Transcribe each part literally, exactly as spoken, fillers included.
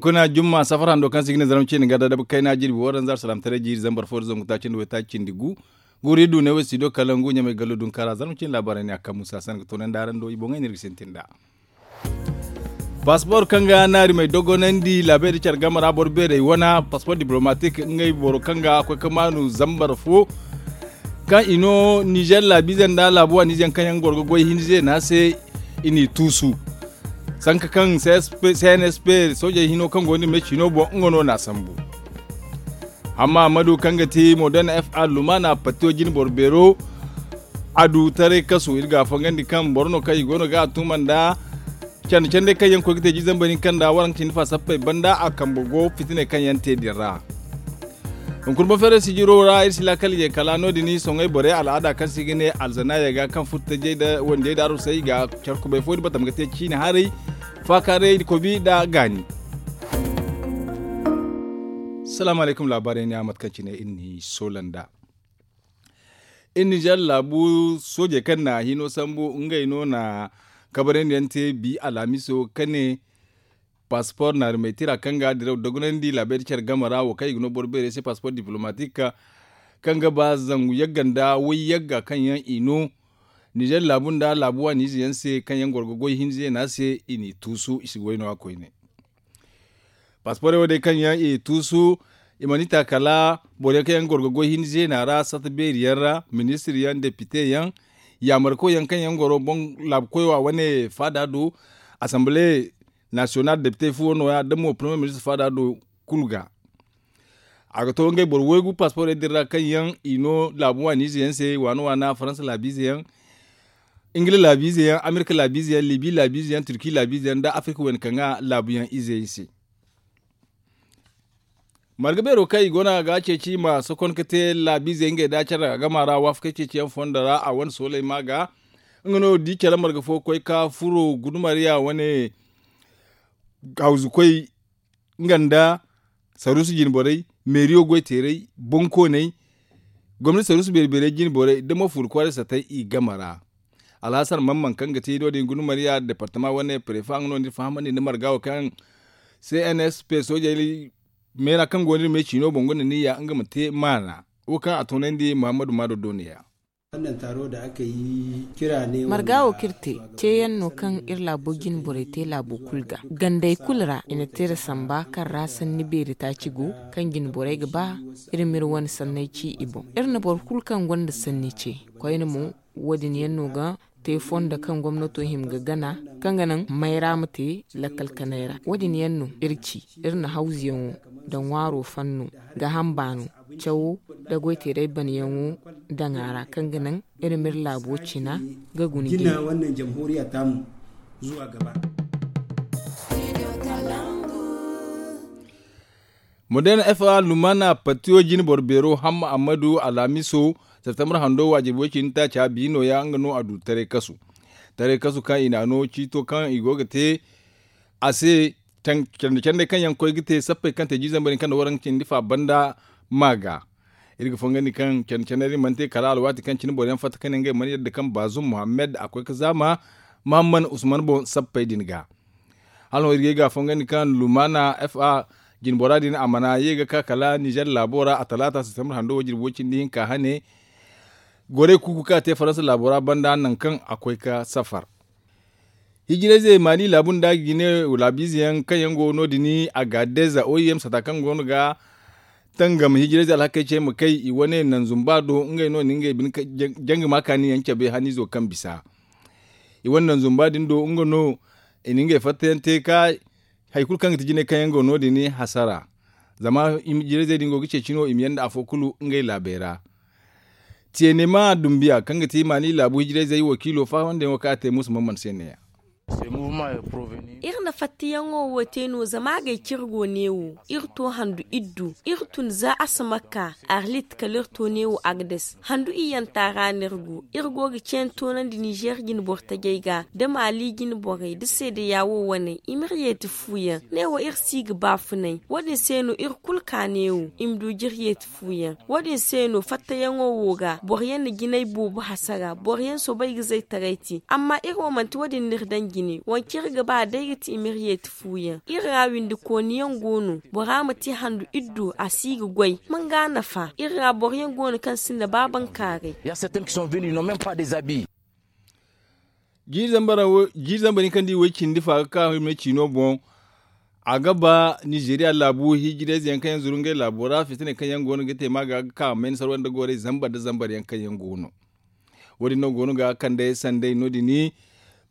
Kuna jumma safar hando kaŋ se i ga ne zarma cindi ga da dabu kayna jirbi waranza alsalaamataray jiiri zambar fo da zangu taaci nda waytaaci cindi gu. Guuri du ne wo studio kalangu ɲamay gallo dunkaara zarma cindi laabaarey ne a kaŋ musa sanda ga toonandi araŋ do i boŋey no iri ga sintin nd'a. Paspor kaŋ ga naarimey dogonandi laabey da care game ra boro beerey wana paspor diplomatik ngey boro kaŋ ga koy ga maanu zambar fo kaŋ i no nizer laabiize nda laabu waaniize yaŋ kaŋ yaŋ goro ga goy hinza zeena se. I n'i tuusu sanka kaŋ cnsp soojey hino kaŋ go nda me ciino boŋ nga no n'a sambu. Amma ammadu kaŋ ga ti modern fa lumaana pattiyo jine boro beero a du taray kasu iri ga a fangandi kaŋ boro no kaŋ i go no ga a tuma nda candi candey kaŋ yaŋ koy ga te jiiri zambar hinka nda waranka cindi fa sappey banda a kambe go fitiney kaŋ yaŋ te din ra. Hunkuna boŋ feeray sijiro ra iri si laakal ye kala no- din soŋay borey al'aada kaŋ se i ga ne alzanaaya ga kaŋ furo tajey nda wandiyey nda arusey i ga care kubay fo din batama ga te ciine haray faakaaray kobi nda gaani. Salaamu alaykum laabaarey ne a mate kaŋ cine iri n'i soola nd'a. Iri nizer laabu soojey kaŋ na hino sambu ngey no na kabarandi yaŋ te bi alhamiso ka ne paspor naarimey tira kaŋ ga diraw dogonandi laabey da care game ra wo kaŋ i ga no boro beerey se paspor diplomatik kaŋ ga ba zangu yagga nda way yagga kaŋ yaŋ i no nizer laabu nda laabu waaniize yaŋ se kaŋ yaŋ goro ga goy hinza yaŋ se i n'i tuusu i si goy no- ya koyne. Pasporey wo- din kaŋ yaŋ i tuusu i mana i ta kala boro yaŋ kaŋ yaŋ goro ga goy hinza zeena ra sata beeri yaŋ ra ministir yaŋ depite yaŋ yaamarko yaŋ kaŋ yaŋ goro boŋ laabu koy wa wane faada do asanbale nasiyonal depite fuwo no- ya da mo parmiye ministir faada do kulu ga. A ga to ngey boro waygu pasporey din ra kaŋ yaŋ i no laabu waaniize yaŋ se waana waana faransa laabiize yaŋ ingila laabiize yaŋ amerika laabiize yaŋ libi laabiize yaŋ turki laabiize yaŋ nda afirika wayna kaŋ ga laabu yaŋ izey se. Marga beero kaŋ i go no a ga ceeci i ma sokon ga te laabiizey ngey nda care agama ra waafakey ceeciyaŋ fondo ra a wane sooley ma ga nga no di care marga fo koy ka furo gudumariya wane hawzukoy nga nda saruusu jinborey meeriyo goyteerey bonkooney gomnati saruusu beeri-beerey jinborey da mo fuuri kwaaray satay i game ra. Alhasan mamman kaŋ ga ti no- din gundumariya departama wane prefa nga no ni fahamandi nda marga wo kaŋ cnsp soojey meera kaŋ go no iri me ciino boŋ gonda niyya nga ma te maana wo kaŋ a toonandi muhammadu maado do ne ya. Marga wo kaŋ iri te ceeyaŋ no kaŋ iri laabo jine borey te laabo kulu ga gandey kulu ra i na te iri samba kaŋ ra sanni beeri taaci go kaŋ jine borey ga ba iri ma iri wane sanney ci i boŋ. Iri na boro kulu kaŋ gonda sanni ce koyne mo wo- din yaŋ no ga te fondo kaŋ gomnato hima ga gana kaŋ ga naŋ mayra ma te lakkal kanay ra wo- din yaŋ no iri ci. Iri na hawzuyaŋo nda ŋwaaro fanno ga hamba no cawo nda goyteeray banayaŋo daŋ a ra kaŋ ga naŋ iri ma iri laabo cina ga guna jina. Modern fa lumana patiyo jine boro beero hamma ammadu alhamiso septembre hando waajiri way cindi taaca bi nooya nga no a du taray kasu. Taray kasu kaŋ i n'a no ciito kaŋ i go ga te a se candi candey kaŋ yaŋ koy ga te sappey kaŋ te jiiri zambar hinka nda waranka cindi fa banda ma ga. Iri ga fongandi kaŋ candi candey din mana te kala alwaati kaŋ cine boro yaŋ fatta ka ne ngey mana yadda kaŋ baazum muhammad a koy ga zaama muhammad usman boŋ sappey din ga. Hala no iri ga ay ga fongandi kaŋ lumana fa jinbora din a mana ye ga ka kala nizer laabo ra a talaata septembre hando wo jirbi way cindi hinka hane. Gorey kuuku kaŋ a te faransa laabo ra banda nangu kaŋ a koy ga safar. Hijirayzey maali laabu nda gine laabiize yaŋ kaŋ yaŋ go no- din a ga deeza oim sata kaŋ go no ga tangam hijirayzey alhakey ce ma kay i wane nanzumba do ngey no na ngey bine jangi ma kaani yaŋ cabe haniizo kaŋ bisa. I wane nanzumba din do nga no i na ngey fattayaŋ te ka hari kulu kaŋ ga ti jinay kaŋ yaŋ go no- din hasara. Zama hijirayzey din go ga ceeci no i ma yanda afo kulu ngey laabey ra. Tiyenema dumbiya kaŋ ga ti maani laabu hijirayzey wakiilo fahamandi yaŋo kaŋ a te muusa man mana se ne ya. Iri na fattayaŋo wo te no zama a gay kaŋ iri go neewo iri to handu iddu iri tun za a si ma ka arlit kala iri to neewo agdes handu iyyanta ra no iri go. Iri go ga ceeni toonandi nizer jine boro tajey ga nda maali jine borey nda seedeya wo waney i m'iri yeeti fu yaŋ neewo iri si ga baafunay wo- din se no iri kulu ka neewo i ma du jiri yeeti fu yaŋ. Wo- din se no fattayaŋo wo ga boro yaŋ na jinay boobo hasara boro yaŋ soobay ga zaytaray te amma iri wo manti wo- din no iri daŋ jine. kaŋ iri ga ba day ga ti i ma iri yeeti fu yaŋ. Iri ra windikooni yaŋ go no, bora ma te handu iddu a si ga goy, manga nafa iri ra boro yaŋ go no kaŋ sinda ba bankaaray. Jiiri zambar yaŋ kaŋ da i way cindi fa ga ka hima ciino boŋ. A ga ba nizeeriya laabu hijirayze yaŋ kaŋ yaŋ zuru ngey laabo ra fitiney kaŋ yaŋ go no ga te ma ga ga ka mayna sarwa nda goray zambar nda zambar yaŋ kaŋ yaŋ go no. Wo- din no go no ga kande sanday no- din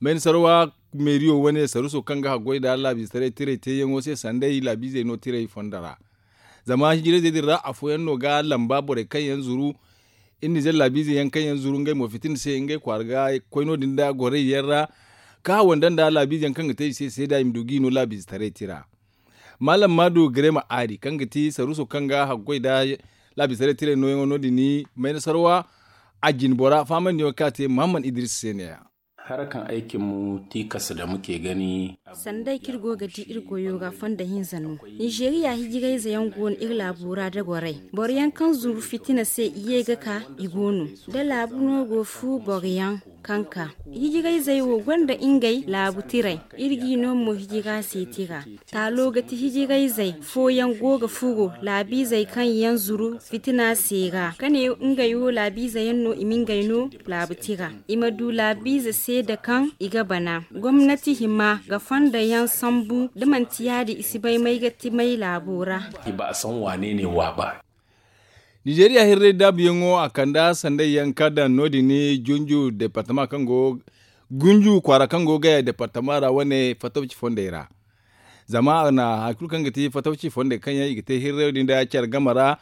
mayna sarwa meeriyo wane saruso kaŋ ga haggoy nda laabiizetaray tiray te yaŋo se sanday laabiizey no tiray fondo ra. Zama hijirayzey din ra afooyaŋ no ga lamba borey kaŋ yaŋ zuru iri nizer laabiize yaŋ kaŋ yaŋ zuru ngey mo fitina se ngey kwaara ga koy no- din nda goray yaŋ ra ka hawanda nda laabiize yaŋ kaŋ ga te i se seeda i ma du ga i no laabiizetaray tira. Maalam maadu garema aari kaŋ ga ti saruso kaŋ ga haggoy nda laabiizetaray tiray nooyaŋo no- din mayna sarwa a jine bora fahamandi yaŋo kaŋ a te muhammad idris se ne ya. Hara kaŋ ay cimmu tiikas da muke gani. Sanday kaŋ iri go ga di iri goyo ga fondo hinza no. Nizeeriya hijirayze yaŋ go no iri laabo ra da goray boro yaŋ kaŋ zuru fitina se i ye ga ka i go no da laabu no go fu boro yaŋ kaŋ ka hijirayzey wo gonda ngey laabu tiray. Iri g'i no mo hijira se tira taalo ga ti hijirayzey fooyaŋ go ga furo laabiizey kaŋ yaŋ zuru fitina se ra ka ne ngey wo laabiize yaŋ no i ma ngey no laabu tira i ma du laabiize seeda kaŋ i ga bana gomnati hima ga fondo yaŋ sambu da manti ya- din i si bay may ga ti may laabo ra. Nizeeriya hirray daabu yaŋo a kanda sanday yaŋ ka daŋ no- din junju departama kaŋ go gunju kwaara kaŋ go gaya departama ra wane fatawci fondey ra. Zama a na hari kulu kaŋ ga ti fatawci fondey kaŋ yaŋ i ga te hirray din da care game ra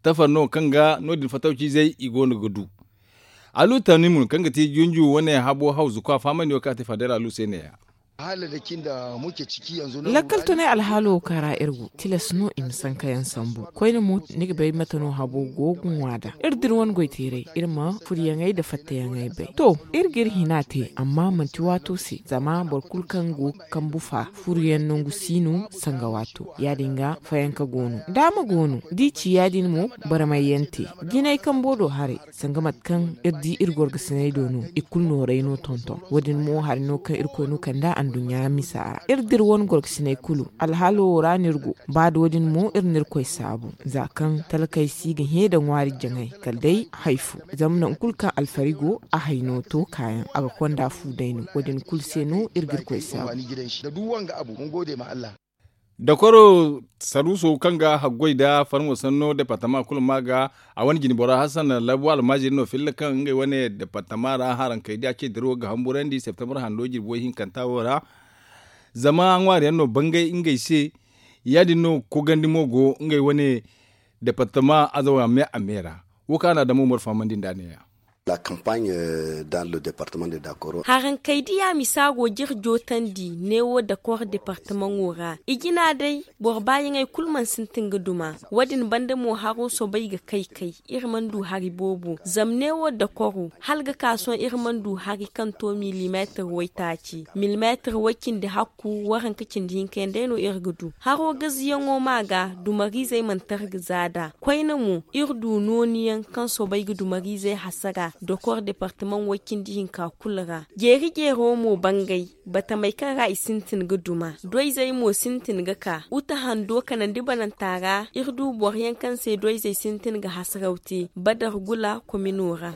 tafar no kaŋ ga no- din fatawciizey i go no ga du. Alu tanimun kaŋ ga ti junju wane habo hawzu kwa fahamandi wo kaŋ a te fadar alu se ne ya. Lakkal tunay alhaalo wo kaŋ ra iri go tilas no i ma sanka yaŋ sambu koyne mo ni ga bay mate no habo go ga ŋwa nd'a. Iri dira wane goy teeray iri ma furyaŋey nda fattayaŋey bay to iri ga iri hina te amma manti waato se zama boro kulu kaŋ go ga kambu fa furyaŋ nangu si no sanga waato ya- din ga fayanka go no daama go no da i ci ya- din mo barmay yaŋ te jinay kambo do haray sanga mate kaŋ iri di iri gorgasiney do no i kulu nooray no tonton wo- din mo hari no kaŋ irkoy no kand'a anduɲɲa misa ra iri dira wane gorgasiney kulu alhaalo wo ra no iri go ba da wo- din mo iri na irkoy saabu za kaŋ talkey si ga hẽ nda ŋwaari jaŋay kala day hari fo zama nangu kulu kaŋ alfari go a hari no to kaayaŋ a ga konda fu day no wo- din kulu se no iri ga irkoy saabu. Dakoro saruuso kaŋ ga haggoy nda farmo sanno departama kulu ma ga a wane jinbora hasan labu almaaziri no filla kaŋ ngey wane departama ra harankey da a ce dirawo ga hamburandi septembre hando jirbi way hinkanta wo ra. Zama ŋwaari yaŋ no bangay ngey se ya- din no kogandi mo go ngey wane departama azawa me a me ra. Wo kaŋ a na damo mor fahamandi nd'a ne- ya. Harankey diya misa go ga iri jootandi neewo dakor departamaŋo ra i jina day boro baayaŋey kulu mana sintin ga duma. Wo- din banda mo haro soobay ga kay kay iri mana du hari boobo zama neewo dakoro hala ga ka sohõ iri mana du hari kaŋ to milimeetir waytaaci milimeetir way cindi hakku waranka cindi hinka yaŋ day no iri ga du. Haro gaziyaŋo ma ga dumariizey mana tara ga za nd'a koyne mo iri du nooni yaŋ kaŋ soobay ga dumariizey hasara dokor departamaŋ way cindi hinka kulu ra. Jeeri jeero mo bangay batamey kaŋ ra i sintin ga duma doyzey mo sintin ga ka uta hando kanandi bananta ra iri du boro yaŋ kaŋ se doyzey sintin ga hasaraw te badar gula komino ra.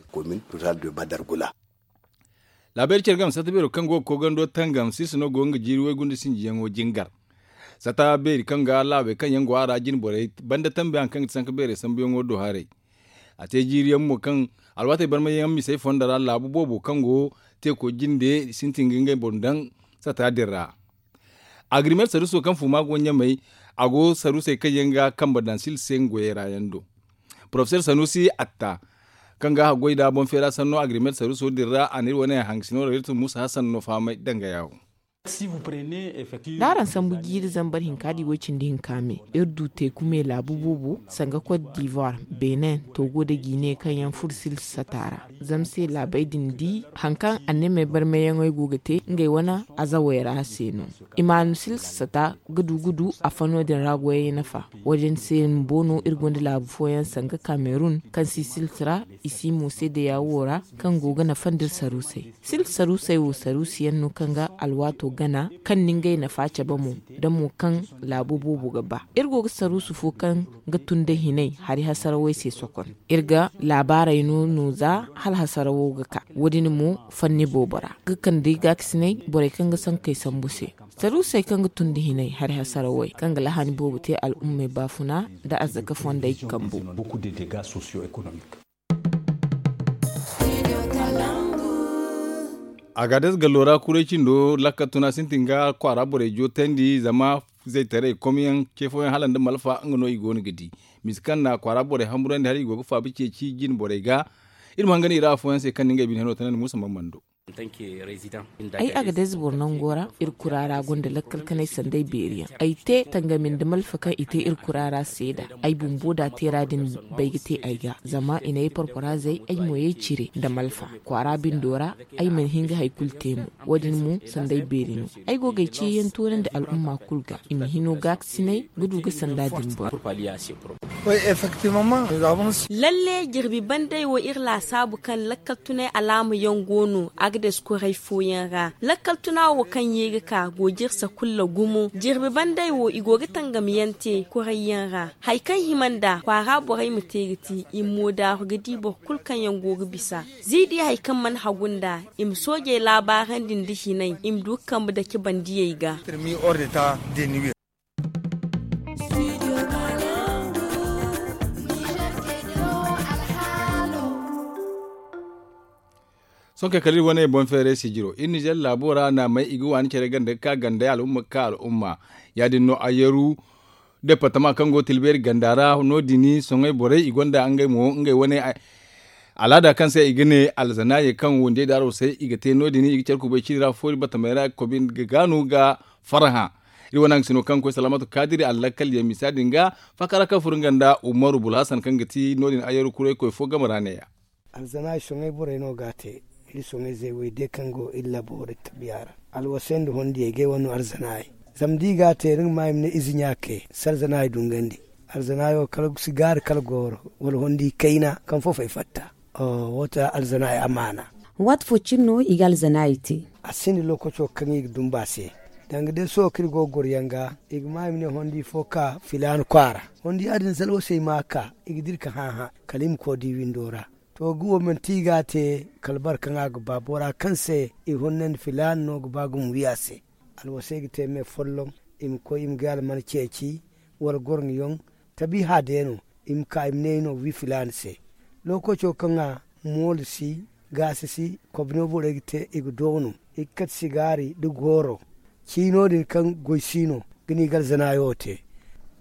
Laabeeri care game sata beero kaŋ go ga koogando tangam siisa no go nga jiiri waygunde sinjiyaŋo jingar. Sata beeri kaŋ ga laabey kaŋ yaŋ go a ra jine borey banda tambi hari kaŋ ga ti sanka beerey sambuyaŋo do haray. A te jiiriyaŋ mo kaŋ alwaatey barmayaŋ misey fondo ra laabu boobo kaŋ go teeko jinde sintin ga ngey boŋ daŋ sata din ra. Agrimet saruuso kaŋ fuma go ɲamey a go saruusey kaŋ yaŋ ga kambe daŋ sila se nga goyey ra yaŋ do. Porofesor sanuusi atta kaŋ ga haggoy nda boŋ feera sanno agrimet saruuso din ra a na iri wane hangasino rayirtu musa hasan no fahamay danga yaawo. Da araŋ sambu jiiri zambar hinka da i way cindi hinka me iri du teeku me laabu boobo sanga kot divoire benin togo nda guinee kaŋ yaŋ furo sila sata ra. Zama se laabey din di hari kaŋ anneemey barmayyaŋey go ga te ngey wane azawey ra se no. Imaanu silsa sata ga du ga du a fano din ra goyey nafa. Wo- din se bumbo no iri gonda laabu fooyaŋ sanga kamerun kaŋ si silsa ra i si mo seedeya wo ra kaŋ go ga nafandi iri saruusey. Silsa saruusey wo saruusiyaŋ no kaŋ ga alwaato gana kaŋ na ngey nafa cabe mo, da mo kaŋ laabu boobo ga ba. Iri go ga saruusu fo kaŋ ga tun da hinay hari hasarawey se sokon. Iri ga laabaarey no no za hala hasarawo ga ka. Wo- din mo fanni boobo ra ga kande gaakasinay borey kaŋ ga sankey sambu se. Saruusey kaŋ ga tun da hinay hari hasarawey kaŋ ga lahani boobo te al'ummey baafuna nda arzaka fondey kambu. Agades gallo ra kuray cindo lakkal tuna sintin ga kwaara borey jootandi zama zaytaray komyaŋ ce fooyaŋ hala nda malfa nga no i go no ga di. Misa kaŋ na kwaara borey hamburandi hala i go ga faabi ceeci jine borey ga. Iri ma hangan i ra afooyaŋ se kaŋ na ngey bine hano tanandi muusa mamando. Ay agades boro nango ra iri kura ra gonda lakkal kanay sanday beeri yaŋ ay te tangami nda malfa kaŋ i te iri kura ra seeda. Ay bumbo da teera din bay ga te ay ga zama i na ay porporazey ay mo yay cire nda malfa kwaara bindo ra. Ay mana hin ga hari kulu te mo. Wo- din mo sanday beeri no. Ay go ga ay ceeyaŋ toonandi al'umma kulu ga i ma hino gaakasinay ga du ga sanda din boro. Lalle jirbi banday wo iri laasaabu kaŋ lakkal tunay alaama yaŋ go no agades kuray fooyaŋ ra. Lakkal tuna wo kaŋ ye ga ka go jirsa kulla gumo jirbi banday wo i go ga tangami yaŋ te kuray yaŋ ra. Hari kaŋ hima nda kwaara borey ma te ga ti i ma moodaaru ga di boro kulu kaŋ yaŋ go ga bisa. Ziidi hari kaŋ mana hagu nda i ma soojey laabaarandi nda hinay i ma du ga kambe dake bandiyey ga. Sohõ kay kala iri wane boŋ feeray sijiro iri nizer laabo ra naamey i ga waani care ganda ga ka ganda al'umma ga ka al'umma. Ya- din no ayyaru departama kaŋ go tilbeeri ganda ra no- din sohõ borey i gonda ngey mo ngey wane alaada kaŋ se i ga ne alzanaayey kaŋ wandiyey daaro se i ga te no- din i ga care kubay ciiri ra foori batamey ra kobi ga gaanu ga farhã. Iri wane haŋ ga sino kaŋ ga koy salaamatu kaadiri allakkal yaŋ misa din ga fakara kaŋ furo nga nda umaru bulhasan kaŋ ga ti no- din ayyaru kuraykoy fo game ra neeya. Alzanaay soŋay borey no ga a te. Iri soŋay zeewey day kaŋ go iri labo da tabiya ra alwasay nda hondiyey ga ay wane no alzanaay. Zama da i ga a te ni ga ma i ma ne ize ɲaakey si alzanaay dungandi. Alzanaayo kala sigaari kala gooro wala hondi kayna kaŋ fofey fatta. Wo- ta alzanaay amaana. Waati fo cine no i ga alzanaay te. A sinda lookaco kaŋ i ga dumba se. Danga day sohõ kaŋ iri go ga goro yaŋ ga i ga ma i ma ne hondi fo ka filaana kwaara. Hondi ya- din zalwasey ma a ka i ga dira ka hãhã kala i ma koy di windo ra. To ga wo manti i ga a te kala boro kaŋ a ga ba bora kaŋ se i hunnandi filaana no ga ba gumo wi a se. Alwasey ga te me folloŋ i ma koy i ma gay alman ceeci wala gorŋyaŋ. Tabiiha day no i ma ka i ma ne i no wi filaana se. Lookaco kaŋ a moolo si gaasi si kobno borey ga te i ga doonu i ga kate sigaari nda gooro. Ciino din kaŋ goy si no ga ni ga alzanaayo te.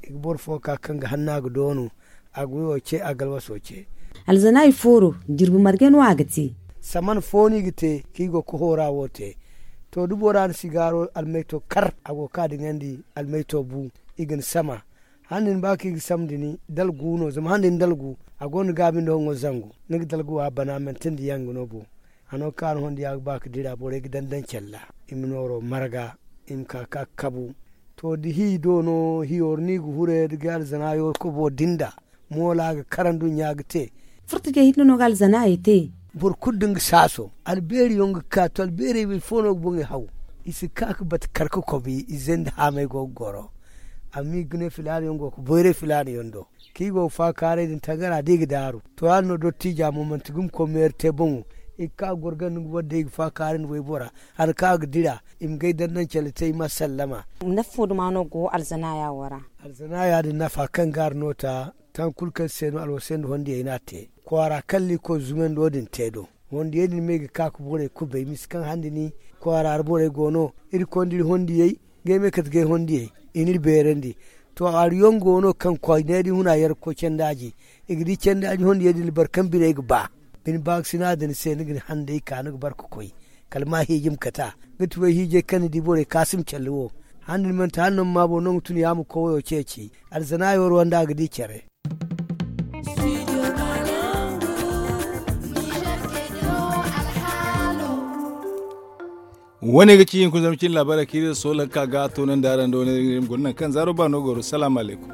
I ga boro fo ka kaŋ ga hanna ga doonu a ga wayo ce a ga alwaso ce. Alzanaayi fooro jirbi marge no a ga te. Saman fo no i ga te kaŋ i go ga hoora wo te. To da bora na sigaaro almayto kar a go ga ka diŋandi almayto bu i ga ni sama. Handi ni ba kaŋ i ga sambu da ni dalgu no zama handi ni dalgu a gonda gaabi nda hongo zangu. Ni ga dalgu a bana manti nda yanga no bo. A no kaŋ a na hondiya ga ba ga dira borey ga daŋ daŋ calla i ma nooro marga i ma ka ga kabu. To da hi do no hiyo ra no i ga hure da ga alzanaayo kobo dinda moola ga kara nduɲɲa ga te. Furta ce hinne no ga alzanaayey te. Boro kulu da nga saaso albeeri yaŋ ga ka to albeerey boro fo no ga boŋey haw. I si ka ga bata kar ga kobi izey nda haamey go ga goro. Amma i ga ne filaana yaŋ go ga boyray filaana yaŋ do. Kaŋ i go ga faakaaray din tangara da i ga daaru to yaadin no dottiija mo manti gumo koy meeri te boŋo. I ga ka ga goro ganda nga boro day i ga faakaaray nda waybora. Hari kaŋ a ga dira i ma gay daŋ daŋ cale te i ma sallama. Nafa fo duma no go alzanaaya wo ra? Alzanaaya din nafa kaŋ gaari no ta taŋ kulu kaŋ se no alwasay nda hondiyey no a te. Kwaara kaŋ liikor zumando din te do. Hondiyey din me ga ka ga borey kubay misa kaŋ handi ni kwaara ra borey go no. Iri konda iri hondiyey ga ay me kate ga ay hondiyey i n'iri beerandi. To hari yaŋ go no kaŋ koy ne da i huna yar ga koy candaaji. I ga di candaaji hondiyey din boro kaŋ biney ga ba bine baakasina din se ni ga ni handay ka ni ga bara ga koy kala ma hiiji ma kate a. Ga ti way hiijay kaŋ ni di borey kaasum calli wo. Handi ni manti hala no ma ma boro no nga tun ya ma koy wayo ceeci. Alzanaayo ra wanda a ga di care. Wane ga ci hinkuna zama cin laabaarey kaŋ iri soola ga ka ga toonandi araŋ do wane guna naŋ kaŋ zaaro ba no goro salaamu alaykum.